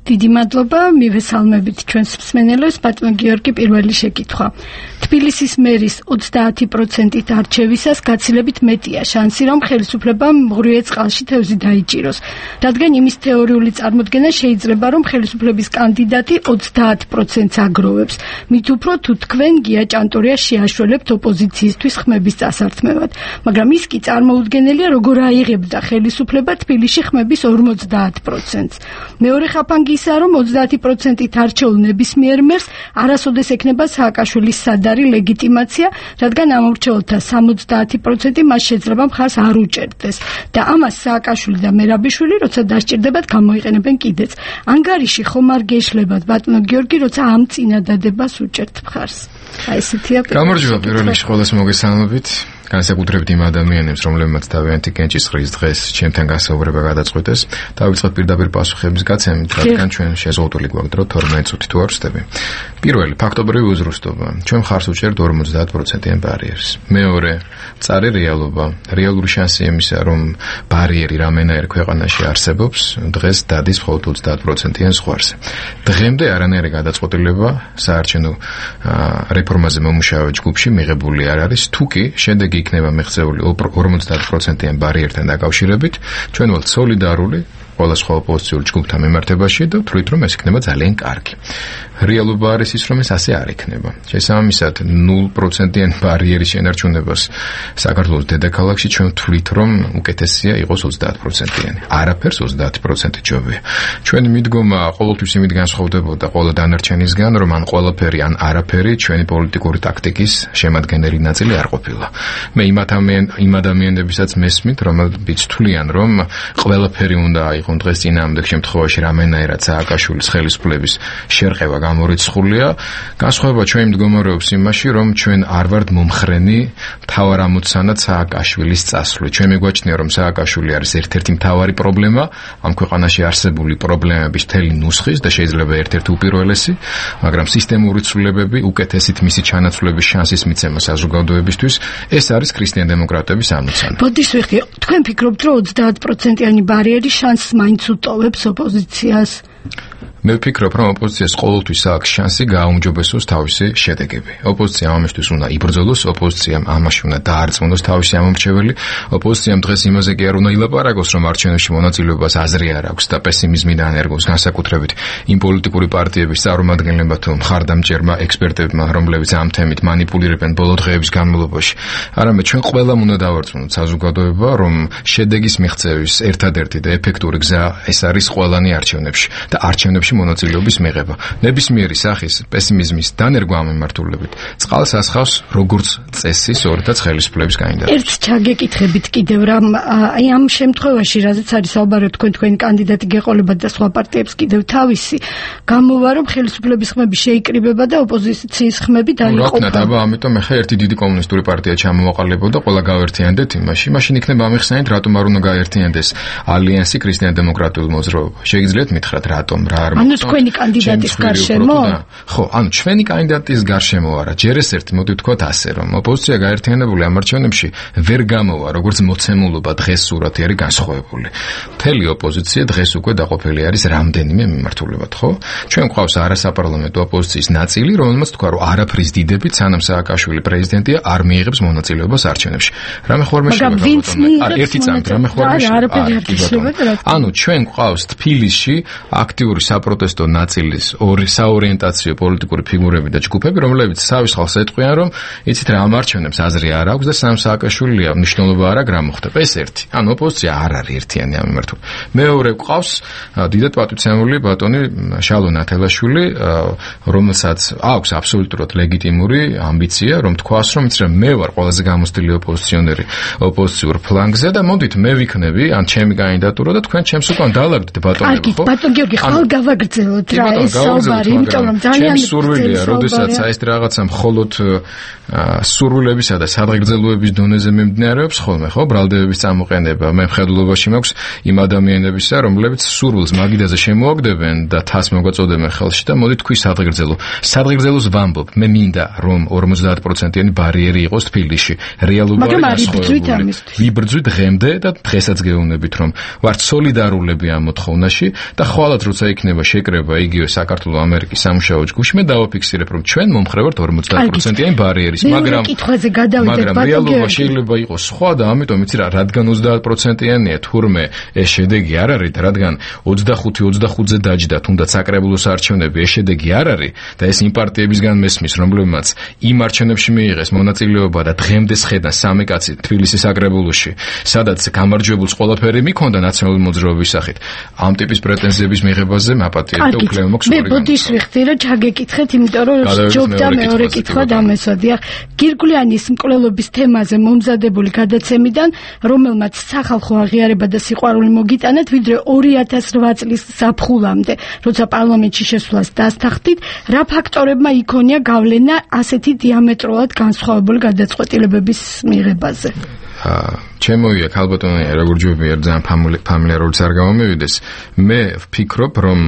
დიდი მადლობა, მივესალმებით ჩვენს მსმენელებს, ბატონო გიორგი, პირველი შეკითხვა. თბილისის მერის 30%-ით არჩევისას გაცილებით მეტია შანსი, რომ ხელისუფლებამ მღვდრიე წყალში თევზი დაიჭიროს. რადგან იმის თეორიული წარმოდგენა შეიძლება, რომ ხელისუფლების კანდიდატი 30%-ს აგროვებს. მით უფრო თუ თქვენ გია ჭანტურია შეაშველებთ ოპოზიციისთვის ხმების წასართმევად. მაგრამ ის კი წარმოუდგენელია, როგორ აიღებდა ხელისუფლება თბილისში ხმების 50%-ს. მეორე ხაფანგი ისაა, რომ 30%-ით არჩეულ ნებისმიერ მერს არასოდეს ექნება სააკაშვილის სადარი ლეგიტიმაცია, რადგან ამორჩეულთა 70% მას შეძლება მხარს არ უჭერდეს და ამას სააკაშვილი და მერაბიშვილი, როცა დასჭირდებათ, გამოიყენებენ კიდეც. ანგარიში ხომ არ გეშლებათ, ბატონო გიორგი, როცა ამ წინადადებას უჭერთ მხარს. აი ესეთია. გამარჯობა, პირველ რიგში ყველას მოგესალმებით. განსაკუთრებით იმ ადამიანებს, რომლებმაც თავიანთი კენჭისყრის დღეს ჩემთან გასაუბრება გადაწყვეტეს, დავიწყოთ პირდაპირ პასუხების გაცემით, რადგან ჩვენ შეზღუდული გვაქვს დრო 12 წუთი თუ არ ვსდები. პირველი, ფაქტობრივი უზრუნველობა. ჩვენ მხარს უჭერთ 50%-იან ბარიერს. მეორე, მწარე რეალობა. რეალური შანსი იმისა, რომ ბარიერი რამენაერ ქვეყანაში არსებობს, დღეს დადის მხოლოდ 30%-იან ზღვარზე. დღემდე არანაირი გადაწყვეტილება საარჩევნო რეფორმაზე მომუშავე ჯგუფში მიღებული არ არის, თუკი შედეგი იქნება მიღწეული 50%-იან ბარიერთან დაკავშირებით, ჩვენ ვალთ სოლიდარული ყველა სხვა ოპოზიციურ ჯგუფთან მიმართებაში და ვთვლით, რომ ეს იქნება ძალიან კარგი. რეალობა არის ის, რომ ეს ასე არ იქნება. შესაბამისად, 0%-იან ბარიერის შენარჩუნებას საქართველოს დედაქალაქში ჩვენ ვთვლით, რომ უკეთესია იყოს 30%-იანი. არაფერს 30% ჯობია. ჩვენი მიდგომა ყოველთვის იმით განსხვავდებოდა ყველა დანარჩენისგან, რომ ან ყველაფერი, ან არაფერი ჩვენი პოლიტიკური ტაქტიკის შემადგენელი ნაწილი არ ყოფილა. მე იმ ადამიანებისაც მესმით, რომლებიც თვლიან, რომ ყველაფერი უნდა აიღონ დღეს წინააღმდეგ შემთხვევაში რამენაირად სააკაშვილის ხელისუფლების შერყევა გამორიცხულია. განსხვავება ჩვენი მდგომარეობს იმაში, რომ ჩვენ არ ვართ მომხრენი მთავარ ამოცანად სააკაშვილის წასვლით. ჩვენ მეგვაჩნია, რომ სააკაშვილი არის ერთ-ერთი მთავარი პრობლემა ამ ქვეყანაში არსებული პრობლემების მთელი ნუსხის და შეიძლება ერთ-ერთი უპირველესი, მაგრამ სისტემური ცვლილებები, უკეთესით მისი ჩანაცვლების შანსის მიცემა საზოგადოებისთვის, ეს არის ქრისტიან-დემოკრატების ამოცანა. ბოდიშ ვიხდი, თქვენ ფიქრობთ, რომ 30%-იანი ბარიერი შანსს მაინც უტოვებს ოპოზიციას? მე ვფიქრობ, რომ ოპოზიციას ყოველთვის აქვს შანსი გააუმჯობესოს თავისი შედეგები. ოპოზიციამ ამისთვის უნდა იბრძოლოს, ოპოზიციამ ამაში უნდა დაარწმუნოს თავისი ამომრჩეველი. ოპოზიციამ დღეს იმაზე კი არ უნდა ილაპარაკოს, რომ არჩევნებში მონაწილეობას აზრი არ აქვს და პესიმიზმიდან ერგოს, განსაკუთრებით იმ პოლიტიკური პარტიების წარმომადგენლებმა თუ მხარდამჭერმა ექსპერტებმა, რომლებიც ამ თემით მანიპულირებენ ბოლო დღეების განმავლობაში. არამედ ჩვენ ყველამ უნდა დავარწმუნოთ საზოგადოება, რომ შედეგის მიღწევის ერთადერთი და ეფექტური გზა ეს არის ყველანი არჩევნებში და არჩევნებში მონაწილეობის მიღება. ნებისმიერი სახის პესიმიზმის დანერგვა ამ მიმართულებით წყალს ასხავს როგორც წესი სწორედაც ხელისუფლების კანდიდატი. ერთ ჩაგეკითხებით კიდევ რამ აი ამ შემთხვევაში, რაზეც არის საუბარი, თქვენი კანდიდატი გეყოლებათ და სხვა პარტიებს კიდევ თავისი, გამოვა რომ ხელისუფლების ხმები შეიკრიბება და ოპოზიციის ხმები დაიყოფა. აბა, ამიტომ ახლა ერთი დიდი კომუნისტური პარტია ჩამოვაყალიბებოდა, ყველა გავერთიანდეთ იმაში. მაშინ იქნება ამიხსენით, რატომ არ უნდა გაერთიანდეს ალიანსი ქრისტიან-დემოკრატიულ მოძრაობა. შეგიძლიათ მითხრათ, რატომ რა არ ანუ თქვენი კანდიდატის გარშემო? ხო, ანუ ჩვენი კანდიდატის გარშემო არა. ჯერ ეს ერთი მოდი ვთქვათ ასე, რომ ოპოზიცია გაერთიანებული ამ არჩევნებში ვერ გამოვა, როგორც მოცემულობა დღეს სურათი არის განსხვავებული. მთელი ოპოზიცია დღეს უკვე დაყოფილი არის რამდენიმე მიმართულებად, ხო? ჩვენ გვყავს არასაპარლამენტო ოპოზიციის ნაწილი, რომელმაც თქვა, რომ არაფრის დიდებით, სანამ სააკაშვილი პრეზიდენტია, არ მიიღებს მონაწილეობას არჩევნებში. რამე ხوار მეშლებოდა? ერთი წამით რამე ხوار მეშლებოდა? ანუ ჩვენ გვყავს თბილისში აქტიური საპროტესტო ნაწილის საორიენტაციო პოლიტიკური ფიგურები და ჯგუფები, რომლებიც სავის ხალხს ეტყვიან, რომ იცით რა, ამ არჩევნებს აზრი არ აქვს და სანამ სააკაშვილია მნიშვნელობა არ აქვს, რა მოხდება. ეს ერთი. ანუ ოპოზიცია არ არის ერთიანი ამ მიმართულებით. მეორე გვყავს დიდად პატივცემული ბატონი შალონ ათელაშვილი, რომელსაც აქვს აბსოლუტურად ლეგიტიმური ამბიცია, რომ თქვას, რომ იცით რა, მე ვარ ყველაზე გამოცდილი ოპოზიციონერი ოპოზიციურ ფლანგზე და მოდით მე ვიქნები ან ჩემი კანდიდატურა და თქვენ ჩემს უკან დაალაგდით ბატონები, ხო? ბატონ გიორგი, ხალ გავაგრძელოთ რა ეს საუბარი, იმიტომ რომ ძალიან სურვილია, როდესაც აი ეს რაღაცა მხოლოდ სურვილებისა და სადღეგრძელოების დონეზე მიმდინარეობს ხოლმე, ხო? ბრალდებების წამოყენება. მე მხედველობაში მაქვს იმ ადამიანებისა, რომლებიც სურვილს მაგიდაზე შემოაგდებენ და თას მოგვაწოდებენ ხელში და მოდი თქვი სადღეგრძელო. სადღეგრძელოს ვამბობ, მე მინდა რომ 50%-იანი ბარიერი იყოს თბილისში. რეალობა არის განსხვავებული. ვიბრძვით დღემდე და დღესაც გეუბნებით, რომ ვართ სოლიდარულები ამ მოთხოვნაში და ხვალად როცა იქნება შეკრება იგივე საქართველოს ამერიკის სამუშაო ჯგუფში, მე დავაფიქსირებ, რომ ჩვენ მომხრევართ 50%-იანი ბარიერის, მაგრამ რეალობა შეიძლება იყოს სხვა და ამიტომ იცი რა, რადგან 30%-იანია, თურმე ეს შედეგი არ არის და რადგან 25-25-ზე დაჯდა, თუნდაც საკრებულოს არჩევნები ეს შედეგი არ არის და ეს იმ პარტიებისგან მესმის, რომლებმაც იმ არჩევნებში მიიღეს მონაწილეობა და დღემდე შეხედან სამი კაცი თბილისის საკრებულოში, სადაც გამარჯვებულს ყველაფერი მიქონდა ნაციონალური მოძრაობის სახით. ამ ტიპის პრეტენზიების მიღებაზე მაპატიებდა უფლება მაქვს. მე ბოდიშ ვიხდი რა ჩაგეკითხეთ, იმიტომ რომ ჯობდა მეორე კითხვა დამესვადი. გირგვლიანის მკვლელობის თემაზე მომზადებული გადაცემიდან, რომელმაც სახალხო აღიარება და სიყვარული მოგიტანეთ, ვიდრე 2008 წლის ზაფხულამდე, როცა პარლამენტში შესვლას დასთანხმდით, რა ფაქტორებმა იქონია გავლენა ასეთი დიამეტრულად განსხვავებული გადაწყვეტილებების მიღებაზე? ჩემოია ქალბატონი როგორ ჯობია ძალიან ფამილიარულად არ გამომივიდეს. მე ვფიქრობ, რომ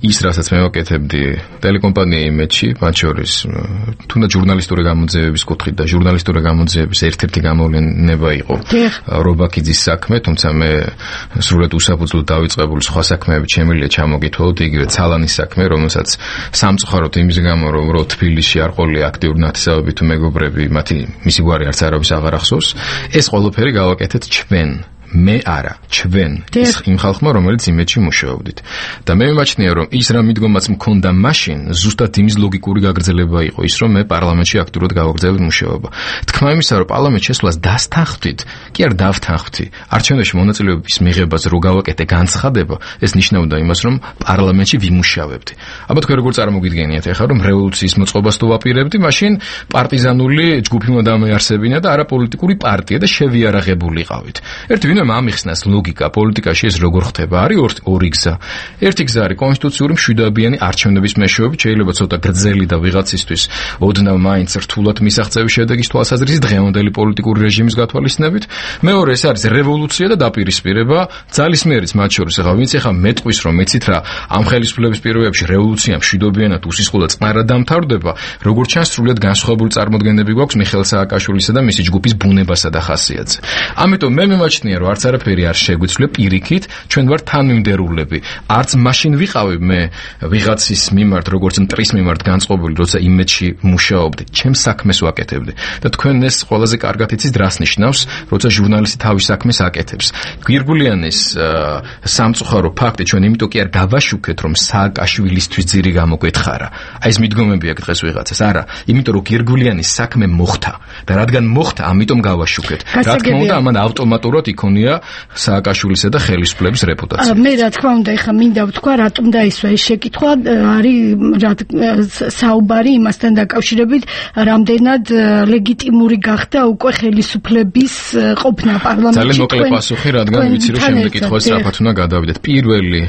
ის რასაც მე ვაკეთებდი ტელეკომპანია იმედში, მათ შორის თუნდაც ჟურნალისტური გამოძიებების კუთხით და ჟურნალისტური გამოძიების ერთ-ერთი გამოვლენა იყო რობაქიძის საქმე, თუმცა მე სრულად უსაფუძვლოდ დავიწყებული სხვა საქმეები შემიძლია ჩამოგითვალოთ, იგივე ცალანის საქმე, რომელსაც სამწუხაროდ იმის გამო, რომ თბილისში არ ყოლია აქტიური ნათესავები თუ მეგობრები, მისი გვარი არც არავის აღარ ახსოვს. ეს ყველაფერი გავაკეთეთ ჩვენ. მე არა, ჩვენ იმ ხალხმა, რომელიც იმედში მუშაობდით. და მე მიმაჩნია, რომ ის რა მიდგომაც მქონდა მაშინ, ზუსტად იმის ლოგიკური გაგრძელება იყო ის, რომ მე პარლამენტში აქტიურად გავაგრძელებდი მუშაობა. თქმა იმისა, რომ პარლამენტში შესვლას დასთანხმდით, კი არ დავთანხმდი. არჩევნებში მონაწილეობის მიღებას რო გავაკეთე განცხადება, ეს ნიშნავდა იმას, რომ პარლამენტში ვიმუშავებდი. აბა თქვენ როგორ წარმოგიდგენიათ ახლა, რომ რევოლუციის მოწყობას თუ ვაპირებდი, მაშინ პარტიზანული ჯგუფი უნდა დამეარსებინა და არაპოლიტიკური პარტია და შევიარაღებულიყავით. ერთი ამიხსნას ლოგიკა პოლიტიკაში ეს როგორ ხდება? არის ორი გზა. ერთი გზა არის კონსტიტუციური მშვიდობიანი არჩევნების მეშვეობით, შეიძლება ცოტა გრძელი და ვიღაცისთვის ოდნავ მაინც რთულად მისაღწევი შედეგის თვალსაზრისით დღევანდელი პოლიტიკური რეჟიმის გათვალისწინებით. მეორე ეს არის რევოლუცია და დაპირისპირება ძალისმიერიც მათ შორის. ახლა ვინც ახლა მეტყვის რომ მეცით რა ამ ხელისუფლების პირობებში რევოლუცია მშვიდობიანად უსისხლო და წყნარად დამთავრდება, როგორც ჩანს სრულიად განსხვავებული წარმოდგენები გვაქვს მიხეილ სააკაშვილისა და მისი ჯგუფის ბუნებასა და ხასიათზე. ამიტომ მე მიმაჩნია, რომ არც არაფერი არ შეგვიძლია პირიქით, ჩვენ ვართ თანმიმდევრულები. არც მაშინ ვიყავი მე ვიღაცის მიმართ, როგორც მტრის მიმართ განწყობილი, როცა იმედში მუშაობდი, ჩემს საქმეს ვაკეთებდი. და თქვენ ეს ყველაზე კარგად იცით, რას ნიშნავს, როცა ჟურნალისტი თავის საქმეს აკეთებს. გირგვლიანის სამწუხარო ფაქტი ჩვენ იმიტომ კი არ გავაშუქეთ, რომ სააკაშვილისთვის ძირი გამოგვეთხარა. აი ეს მიდგომები აქვს დღეს ვიღაცას. არა, იმიტომ რომ გირგვლიანის საქმე მოხდა და რადგან მოხდა, ამიტომ გავაშუქეთ. რა თქმა უნდა, ამან ავტომატურად იქონია სააკაშვილისა და ხელისუფლების რეპუტაცია. მე რა თქმა უნდა ეხა მინდა ვთქვა, რატომ დაისვა ეს შეკითხვა, არის საუბარი იმასთან დაკავშირებით, რამდენად ლეგიტიმური გახდა უკვე ხელისუფლების ყოფნა პარლამენტში. ძალიან მოკლე პასუხი, რადგან ვიცი რომ შემდეგ კითხვას სწრაფად უნდა გადავიდეთ. პირველი,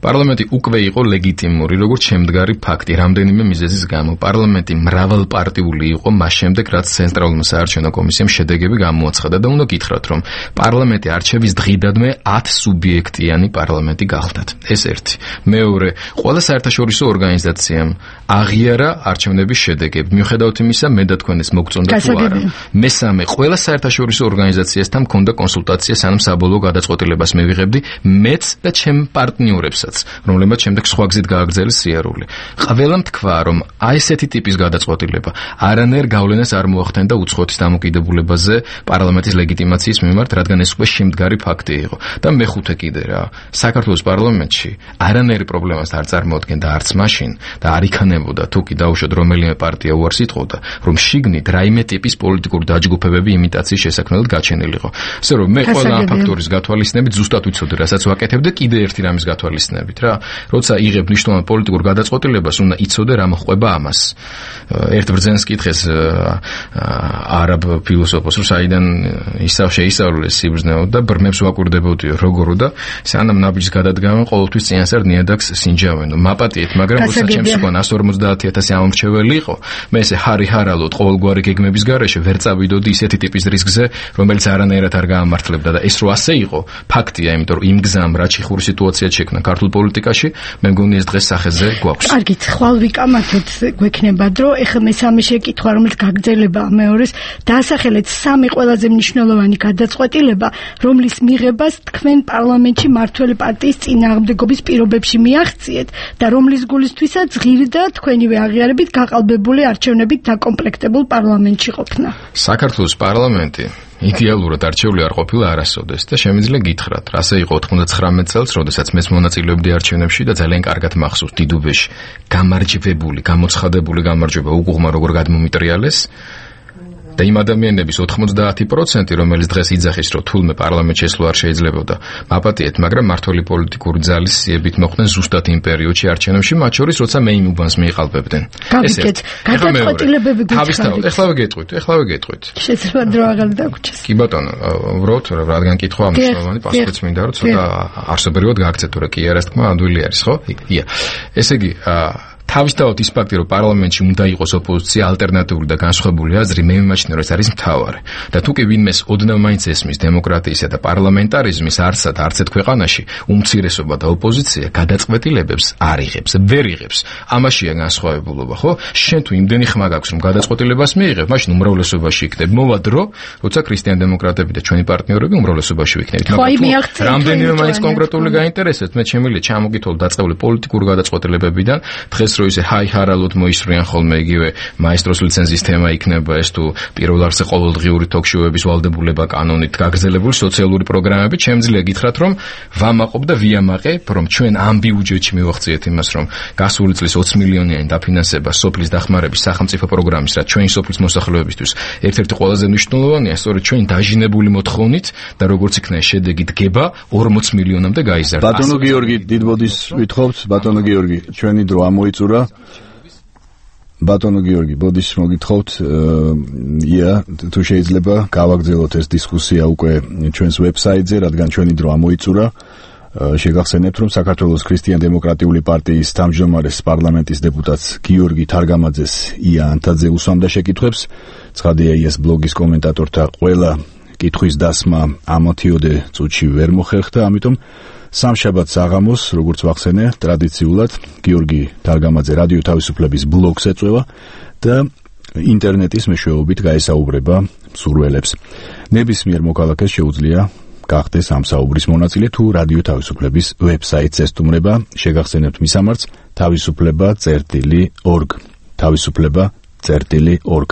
პარლამენტი უკვე იყო ლეგიტიმური, როგორც შემდგარი ფაქტი, რამდენიმე მიზეზის გამო. პარლამენტი მრავალპარტიული იყო მას შემდეგ, რაც ცენტრალურმა საარჩევნო კომისიამ შედეგები გამოაცხადა და უნდა გითხრათ, რომ პარლამენტი არჩევის დღიდადმე 10 სუბიექტიანი პარლამენტი გახდათ. ეს ერთი. მეორე, ყველა საერთაშორისო ორგანიზაციამ აღიარა არჩევნების შედეგები. მიუხედავად იმისა, მე და თქვენ ეს მოგწონდა თუ არა. მესამე, ყველა საერთაშორისო ორგანიზაციასთან მქონდა კონსულტაცია, სანამ საბოლოო გადაწყვეტილებას მივიღებდი მეც და ჩემ პარტნიორებსაც, რომლებმაც შემდეგ სხვა გზით გააგრძელეს სიარული. ყველამ თქვა, რომ აი ესეთი ტიპის გადაწყვეტილება არანაირ გავლენას არ მოახდენდა უცხოეთის დამოკიდებულებაზე პარლამენტის ლეგიტიმაციის მიმართ, რადგან ეს უკვე შემდგარი ფაქტი იყო. და მეხუთე კიდე რა, საქართველოს პარლამენტში არანაირი პრობლემას არ წარმოადგენდა არც მაშინ და არ იქნებოდა თუ კი დაუშვათ რომელიმე პარტია უარს იტყოდა, რომ შიგნით რაიმე ტიპის პოლიტიკური დაჯგუფებები იმიტაციის შესაქმნელად გაჩენილიყო. ასე რომ მე ყველა ამ ფაქტორის გათვალისწინებით ზუსტად ვიცოდი, რასაც ვაკეთებდი კიდე ერთი რამის გათვალისწინებით რა. როცა იღებ მნიშვნელოვან პოლიტიკურ გადაწყვეტილებას, უნდა იცოდე რა მოხდება ამას. ერთ ბრძენს კითხეს არაბ ფილოსოფოსს, რომ საიდან შეისწავლეს სიბრძნეო და ბრმებს ვაკვირდებოდიო როგორო და სანამ ნაბიჯს გადადგამენ ყოველთვის წინასწარ ნიადაგს სინჯავენო. მაპატიეთ, მაგრამ როცა ჩემს უკან 150,000 ამორჩეველი იყო, მე ესე ჰარი-ჰარალოდ ყოველგვარი გეგმების გარეშე ვერ წავიდოდი ისეთი ტიპის რისკზე, რომელიც არანაირად არ გაამართლებდა და ეს რო ასე იყო, ფაქტია, იმიტომ რომ იმ გზამ რა ჩიხური სიტუაცია შექმნა ქართულ პოლიტიკაში, მე მგონი ეს დღეს სახეზე გვაქვს. კარგით, ხვალ ვიკამათოთ გვექნება დრო. ეხლა მესამე შეკითხვა, რომელიც გაგრძელება მეორეს, დაასახელეთ სამი ყველაზე მნიშვნელოვანი გადაწყვეტილება, რომლის მიღებას თქვენ პარლამენტში მართველი პარტიის წინააღმდეგობის პირობებში მიაღწიეთ და რომლის გულისთვისაც ღირდა თქვენივე აღიარებით გაყალბებული არჩევნებით დაკომპლექტებულ პარლამენტში ყოფნა. საქართველოს პარლამენტი იდეალურად არჩეული არ ყოფილა არასოდეს და შემიძლია გითხრათ, რასე იყო 99 წელს, როდესაც მეც მონაწილეობდი არჩევნებში და ძალიან კარგად მახსოვს დიდუბეში გამარჯვებული, გამოცხადებული გამარჯვება უგუღმა როგორ გადმომიტრიალეს. და იმ ადამიანების 90%, რომელიც დღეს იძახის, რომ თულმე პარლამენტში ესვლა არ შეიძლებოდა, მაპატიეთ, მაგრამ მართველი პოლიტიკური ძალის სიებით მოხდნენ ზუსტად იმ პერიოდში არჩევნებში, მათ შორის, როცა მე იმ უბანს მიიყალბებდნენ. გაგიგეთ, გადაწყვეტილებები გითხარით. ეხლავე გეტყვით. შეიძლება დრო აღარ დაგვრჩეს. კი ბატონო, უბრალოდ რადგან კითხვა მნიშვნელოვანი, პასუხიც მინდა რომ ცოტა არსობრივად გააქცეთ, თუ რა კი არა თქმა, ადვილი არის, ხო? ია. ესე იგი, თავისთავად ის ფაქტი, რომ პარლამენტში უნდა იყოს ოპოზიცია, ალტერნატიული და განსხვავებული აზრი, მე მიმაჩნია, რომ ეს არის მთავარი. და თუ კი ვინმეს ოდნავ მაინც ესმის დემოკრატიისა და პარლამენტარიზმის არცეთ ქვეყანაში, უმცირესობა და ოპოზიცია გადაწყვეტილებებს არ იღებს, ვერ იღებს. ამაშია განსხვავებულობა, ხო? შენ თუ იმდენი ხმა გაქვს, რომ გადაწყვეტილებას მიიღებ, მაშინ უმრავლესობაში იქნებ. მოვა დრო, როცა ქრისტიან დემოკრატები და ჩვენი პარტნიორები უმრავლესობაში ვიქნებით. მაგრამ რამდენიმე მაინც კონკრეტული გაინტერესებთ, მე შემიძლია ჩამოგითვალ დაწყებული პოლიტიკური გადაწყვეტილებებიდან, დღეს რო ისე ჰაი-ჰარალოდ მოისვრიან ხოლმე იგივე მაესტროს ლიცენზიის თემა იქნება ეს თუ პირველ რიგში ყოველდღიური თოქ-შოუების ვალდებულება კანონით გაგრძელებული სოციალური პროგრამები, შემიძლია გითხრათ, რომ ვამაყობ და ვიამაყებ, რომ ჩვენ ამ ბიუჯეტში მივახციეთ იმას, რომ გასული წლის 20 მილიონიანი დაფინანსება სოფლის დახმარების სახელმწიფო პროგრამის, რაც ჩვენი სოფლის მოსახლეობისთვის ერთ-ერთი ყველაზე მნიშვნელოვანია, სწორედ ჩვენი დაჟინებული მოთხოვნით და როგორც იქნა შედეგი დგება 40 მილიონამდე გაიზარდა. ბატონო გიორგი, დიდბოდის ვითხოვთ, ბატონო გიორგი, ჩვენი დრო ამოიწურა. ბატონო გიორგი, ბოდის მოგითხოვთ, თუ შეიძლება გავაგრძელოთ ეს დისკუსია უკვე ჩვენს ვებსაიტზე, რადგან ჩვენი დრო ამოიწურა. შეგახსენებთ, რომ საქართველოს ქრისტიან-დემოკრატიული პარტიის თავმჯდომარეს პარლამენტის დეპუტატს გიორგი თარგამაძეს ია ანთაძე უსვამდა შეკითხვებს. ცხადია, ის ბლოგის კომენტატორთა ყველა კითხვის დასმა ამათიოდე წუთში ვერ მოხერხდა, ამიტომ სამშაბათს აღამოს, როგორც ვახსენე, ტრადიციულად გიორგი თარგამაძე რადიო თავისუფლების ბლოგს ეწევა და ინტერნეტის მეშვეობით გაესაუბრება მსურველებს. ნებისმიერ მოქალაქეს შეუძლია გახდეს ამ საუბრის მონაწილე, თუ რადიო თავისუფლების ვებსაიტს ესტუმრება. შეგახსენებთ მისამართს თავისუფლება.org.